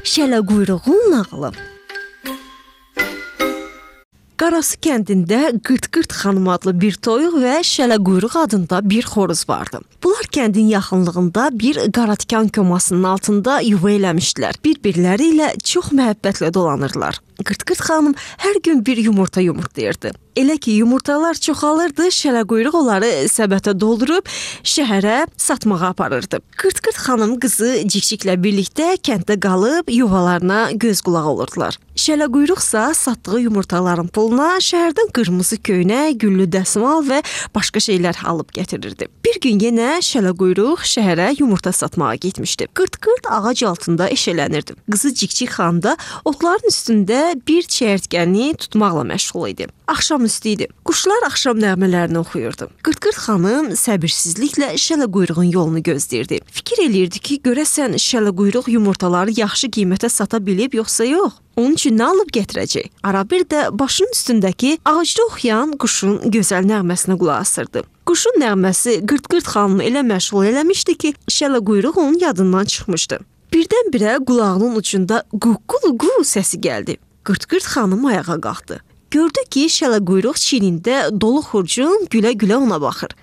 Şələquyruğun nağılı. Qarasu kəndində Qırt-Qırt xanım adlı bir toyuq və Şələquyruq adında bir xoruz vardı. Bunlar kəndin yaxınlığında bir qaratikan komasının altında yuva eləmişdilər. Bir-birləri ilə çox məhəbbətlə dolanırlar. Qırt-Qırt xanım hər gün bir yumurta yumurtlayırdı. Elə ki, yumurtalar çoxalırdı, Şələquyruq onları səbətə doldurub şəhərə satmağa aparırdı. Qırt-Qırt xanım qızı Cikciklə birlikdə kənddə qalıb yuvalarına göz qulaq olurdular. Şələquyruqsa satdığı yumurtaların puluna şəhərdən qırmızı köynək, güllü dəsmal və başqa şeylər alıb gətirirdi. Bir gün yenə Şələquyruq şəhərə yumurta satmağa getmişdi. Qırt-Qırt ağac altında eşələnirdi. Qızı Cikcik xanım da otların üstündə bir çəyirtkəni tutmaqla məşğul idi. Axşam üstü idi. Quşlar axşam nəğmələrini oxuyurdu. Qırt-Qırt xanım səbirsizliklə Şələquyruğun yolunu gözləyirdi. Fikir eləyirdi ki, görəsən Şələquyruq yumurtaları yaxşı qiymətə sata bilib yoxsa yox? Onun üçün nə alıb gətirəcək? Arabir də başının üstündəki ağacda oxuyan quşun gözəl nəğməsinə qulaq asırdı. Quşun nəğməsi Qırt-Qırt xanımı elə məşğul eləmişdi ki, Şələquyruq onun yadından çıxmışdı. Birdən-birə qulağının ucunda qu-qu-qu səsi gəldi. Qırt-Qırt xanım ayağa qalxdı. Gördü ki, Şələquyruq çiynində dolu xurcun gülə-gülə ona baxır.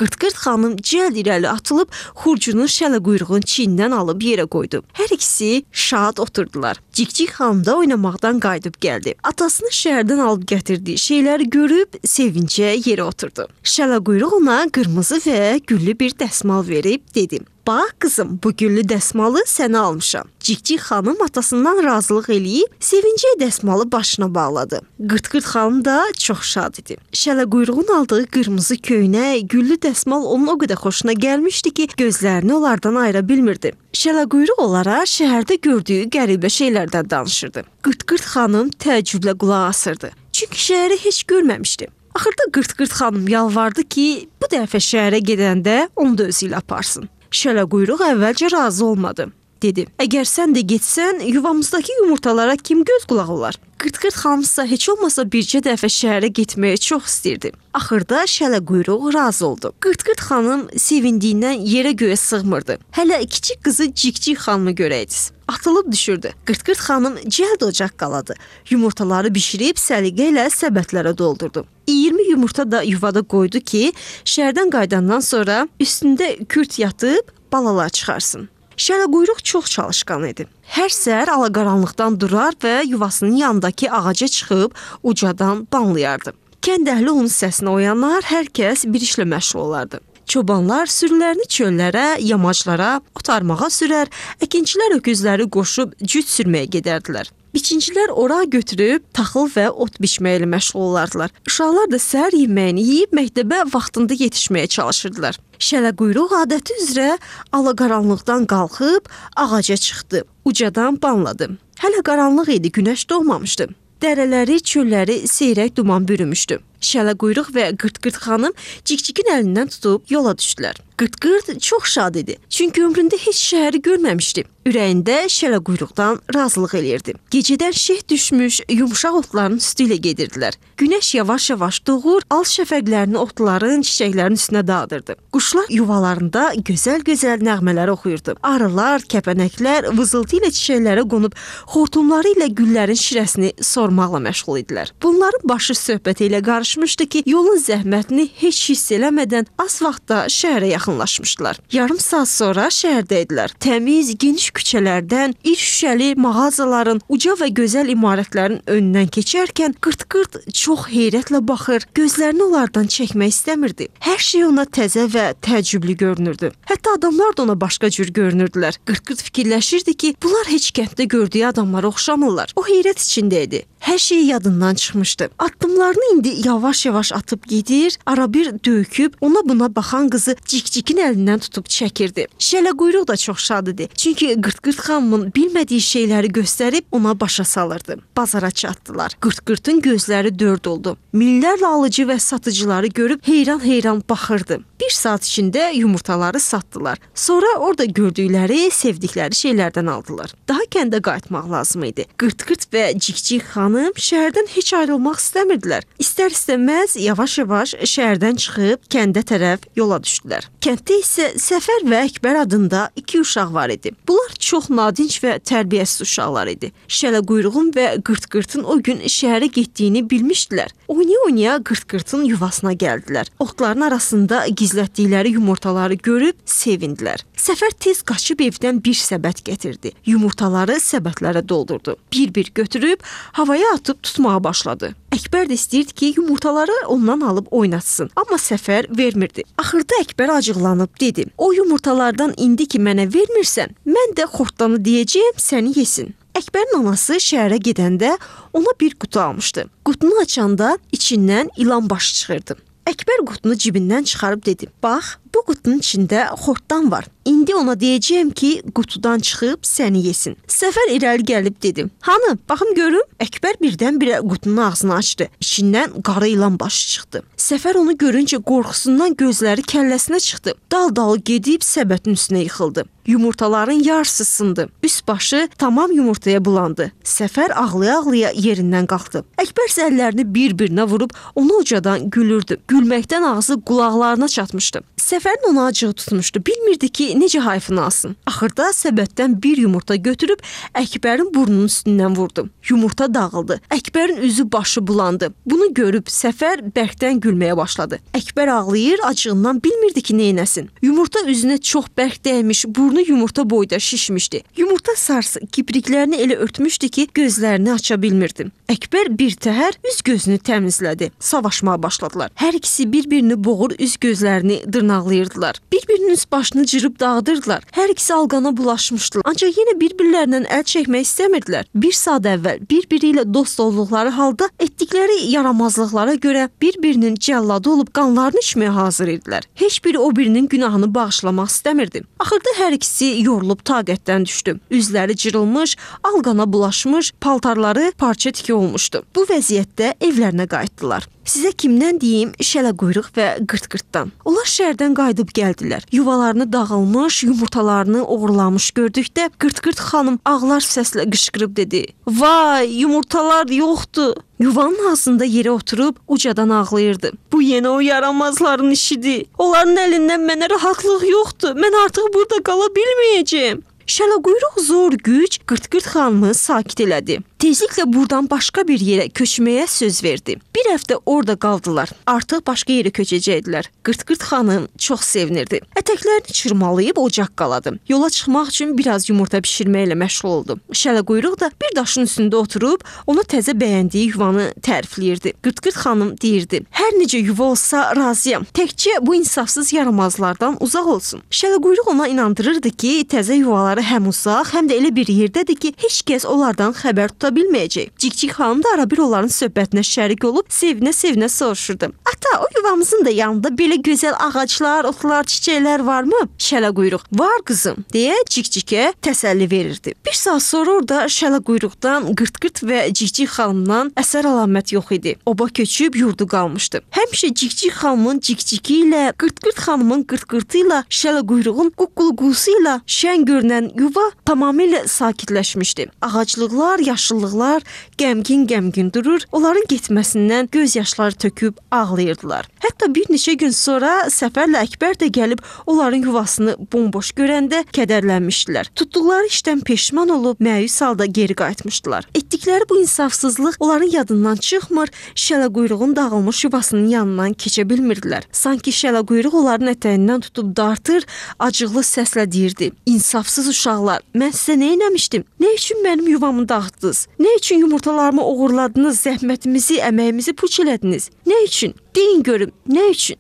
Qırt-Qırt xanım cəld irəli atılıb xurcunu Şələquyruğun çiynindən alıb yerə qoydu. Hər ikisi şad oturdular. Cikcik xanım da oynamaqdan qayıdıb gəldi. Atasının şəhərdən alıb gətirdiyi şeyləri görüb sevincə yerə oturdu. Şələquyruq ona qırmızı və güllü bir dəsmal verib dedi: "Bax qızım, bu güllü dəsmalı sənə almışam." Cikcik xanım atasından razılıq eləyib sevincə dəsmalı başına bağladı. Qırt-Qırt xanım da çox şad idi. Şələquyruğun aldığı qırmızı köynək, güllü dəsmal onun o qədər xoşuna gəlmişdi ki, gözlərini onlardan ayıra bilmirdi. Şələquyruq onlara şəhərdə gördüyü qəribə şeylərdən danışırdı. Qırt-Qırt xanım təəccüblə qulaq asırdı. Çünki şəhəri heç görməmişdi. Axırda Qırt-Qırt xanım yalvardı ki, bu dəfə şəhərə gedəndə onu da özü ilə aparsın. Şələquyruq əvvəlcə razı olmadı. Dedi: "Əgər sən də getsən, yuvamızdakı yumurtalara kim göz qulaq olar?" Qırt-Qırt xanımsa heç olmasa bircə dəfə şəhərə getməyi çox istəyirdi. Axırda Şələquyruq razı oldu. Qırt-Qırt xanım sevindiyindən yerə göyə sığmırdı. Hələ kiçik qızı Cikcik xanımı görəydiz. Atılıb düşürdü. Qırt-Qırt xanım cəld ocaq qaladı. Yumurtaları bişirib səliqə ilə səbətlərə doldurdu. 20 yumurta da yuvada qoydu ki, şəhərdən qayıdandan sonra üstündə kürt yatıb balalar çıxarsın. Şələquyruq çox çalışqan idi. Hər səhər alaqaranlıqdan durar və yuvasının yanındakı ağaca çıxıb ucadan banlayardı. Kənd əhli onun səsinə oyanar, hər kəs bir işlə məşğul olardı. Çobanlar sürülərini çöllərə, yamaclara, otarmağa sürər, əkinçilər öküzləri qoşub cüt sürməyə gedərdilər. Biçincilər ora götürüb taxıl və ot biçməklə məşğul olardılar. Uşaqlar da səhər yeməyini yeyib məktəbə vaxtında yetişməyə çalışırdılar. Şələquyruq adəti üzrə alaqaranlıqdan qalxıb ağaca çıxdı. Ucadan banladı. Hələ qaranlıq idi, günəş doğmamışdı. Dərələri, çölləri seyrək duman bürümüşdü. Şələquyruq və Qırt-Qırt xanım Cikcikin əlindən tutub yola düşdülər. Qırt-Qırt çox şad idi. Çünki ömründə heç şəhəri görməmişdi. Ürəyində Şələquyruqdan razılıq eləyirdi. Gecədən şeh düşmüş, yumşaq otların üstü ilə gedirdilər. Günəş yavaş-yavaş doğur, al şəfəqlərini otların, çiçəklərin üstünə dağıdırdı. Quşlar yuvalarında gözəl-gözəl nəğmələr oxuyurdu. Arılar, kəpənəklər vızıltı ilə çiçəklərə qonub xortumları ilə güllərin şirəsini sormaqla məşğul idilər. Bunların başı söhbət ilə qarışmışdı ki, yolun zəhmətini heç hiss eləmədən az vaxtda şəhərə yaxınlaşmışdılar. Yarım saat sonra şəhərdə idilər. Təmiz, geniş küçələrdən, iri şüşəli mağazaların, uca və gözəl imarətlərin önündən keçərkən Qırt-Qırt çox heyrətlə baxır, gözlərini onlardan çəkmək istəmirdi. Hər şey ona təzə və təəccüblü görünürdü. Hətta adamlar da ona başqa cür görünürdülər. Qırt-Qırt fikirləşirdi ki, bunlar heç kənddə gördüyü adamlara oxşamırlar. O heyrət içində idi. Hər şey yadından çıxmışdı. Addımlarını indi yavaş-yavaş atıb gedir, arabir döyküb ona buna baxan qızı Cikcikin əlindən tutub çəkirdi. Şələquyruq da çox şad idi. Çünki Qırt-Qırt xanımın bilmədiyi şeyləri göstərib ona başa salırdı. Bazara çatdılar. Qırt-Qırtın gözləri dörd oldu. Minlərlə alıcı və satıcıları görüb heyran-heyran baxırdı. Bir saat içində yumurtaları satdılar. Sonra orada gördükləri, sevdikləri şeylərdən aldılar. Daha kəndə qayıtmaq lazım idi. Qırt-Qırt və Cikcik xanım xanım şəhərdən heç ayrılmaq istəmirdilər. İstər-istəməz yavaş-yavaş şəhərdən çıxıb kəndə tərəf yola düşdülər. Kənddə isə Səfər və Əkbər adında 2 uşaq var idi. Bunlar çox nadinc və tərbiyəsiz uşaqlar idi. Şələquyruğun və Qırt-qırtın o gün şəhərə getdiyini bilmişdilər. Oynaya-oynaya Qırt-qırtın yuvasına gəldilər. Otların arasında gizlətdikləri yumurtaları görüb sevindilər. Səfər tez qaçıb evdən bir səbət gətirdi. Yumurtaları səbətlərə doldurdu. Bir-bir götürüb havaya atıb tutmağa başladı. Əkbər də istəyirdi ki, yumurtaları ondan alıb oynatsın. Amma Səfər vermirdi. Axırda Əkbər acıqlanıb dedi: "O yumurtalardan indi ki mənə vermirsən, mən də xortdanı deyəcəyəm, səni yesin." Əkbərin anası şəhərə gedəndə ona bir qutu almışdı. Qutunu açanda içindən ilan başı çıxırdı. Əkbər qutunu cibindən çıxarıb dedi: "Bax, bu qutunun içində xortdan var. İndi ona deyəcəyəm ki, qutudan çıxıb səni yesin." Səfər irəli gəlib dedi: "Hanı? Baxım görüm." Əkbər birdən-birə qutunun ağzını açdı. İçindən qara ilan başı çıxdı. Səfər onu görüncə qorxusundan gözləri kəlləsinə çıxdı. Dal-dal gedib səbətin üstünə yıxıldı. Yumurtaların yarısı sındı. Üst başı tamam yumurtaya bulandı. Səfər ağlaya-ağlaya yerindən qalxdı. Əkbər əllərini bir-birinə vurub onu ucadan gülürdü. Gülməkdən ağzı qulaqlarına çatmışdı. Səfərin ona acığı tutmuşdu. Bilmirdi ki, necə hayfını alsın. Axırda səbətdən bir yumurta götürüb Əkbərin burnunun üstündən vurdu. Yumurta dağıldı. Əkbərin üzü başı bulandı. Bunu görüb Səfər bərkdən gülməyə başladı. Əkbər ağlayır, acığından bilmirdi ki, neynəsin. Yumurta üzünə çox bərk dəymiş, burnu yumurta boyda şişmişdi. Yumurta sarısı kipriklərini elə örtmüşdü ki, gözlərini aça bilmirdi. Əkbər bir təhər üz gözünü təmizlədi. Savaşmağa başladılar. Hər ikisi bir-birini boğur, üz gözlərini dırnaqlayırdılar. Bir-birinin üst başını cırıb dağıdırdılar. Hər ikisi alqana bulaşmışdılar. Ancaq yenə bir-birlərindən əl çəkmək istəmirdilər. Bir saat əvvəl bir-biri ilə dost olduqları halda etdikləri yaramazlıqlara görə bir-birinin cəlladı olub qanlarını içməyə hazır idilər. Heç biri o birinin günahını bağışlamaq istəmirdi. Axırda hər ikisi yorulub taqətdən düşdü. Üzləri cırılmış, alqana bulaşmış, paltarları parça tiki olmuşdu. Bu vəziyyətdə evlərinə qayıtdılar. Sizə kimdən deyim? Şələquyruq və Qırt-qırtdan. Onlar şəhərdən qayıdıb gəldilər. Yuvalarını dağılmış, yumurtalarını oğurlamış gördükdə Qırt-qırt xanım ağlar səslə qışqırıb dedi: "Vay, yumurtalar yoxdur." Yuvanın ağzında yerə oturub ucadan ağlayırdı. "Bu yenə o yaramazların işidir. Onların əlindən mənə rahatlıq yoxdur. Mən artıq burada qala bilməyəcəyəm." Şələquyruq zor güc Qırt-qırt xanımı sakit elədi. Tezliklə buradan başqa bir yerə köçməyə söz verdi. Bir həftə orada qaldılar. Artıq başqa yerə köçəcəkdilər. Qırt-qırt xanım çox sevinirdi. Ətəklərini çırmalayıb ocaq qaladı. Yola çıxmaq üçün biraz yumurta bişirməklə məşğul oldu. Şələquyruq da bir daşın üstündə oturub ona təzə bəyəndiyi yuvanı tərifləyirdi. Qırt-qırt xanım deyirdi: "Hər necə yuva olsa razıyam. Təkcə bu insafsız yaramazlardan uzaq olsun." Şələquyruq ona inandırırdı ki, təzə yuvaları həm uzaq, həm də elə bir yerdədir ki, heç kəs onlardan xəbər tuta bilməyəcək. Cikcik xanım da arabir onların söhbətinə şərik olub sevinə-sevinə soruşurdu: "Ata, o yuvamızın da yanında belə gözəl ağaclar, otlar, çiçəklər varmı?" Şələquyruq: "Var qızım," deyə Cikcikə təsəlli verirdi. Bir saat sonra orada Şələquyruqdan, Qırt-qırt və Cikcik xanımdan əsər əlamət yox idi. Oba köçüb yurdu qalmışdı. Həmişə Cikcik xanımın Cikciki ilə, Qırt-qırt xanımın Qırt-qırtı ilə, Şələquyruğun quqqulqusu ilə şən görünən yuva tamamilə sakitləşmişdi. Ağaclıqlar, yaşıllıqlar qəmgin-qəmgin durur, onların getməsindən göz yaşları töküb ağlayırdılar. Hətta bir neçə gün sonra Səfərlə Əkbər də gəlib onların yuvasını bomboş görəndə kədərlənmişdilər. Tutduqları işdən peşman olub məyus halda geri qayıtmışdılar. Etdikləri bu insafsızlıq onların yadından çıxmır, Şələquyruğun dağılmış yuvasının yanından keçə bilmirdilər. Sanki Şələquyruq onların ətəyindən tutub dartır, acıqlı səslə deyirdi: "İnsafsız uşaqlar, mən sizə nə etmişdim? Nə üçün mənim yuvamı dağıtdınız? Nə üçün yumurtalarımı oğurladınız, zəhmətimizi, əməyimizi puç elədiniz? Nə üçün? Deyin görüm, nə üçün?"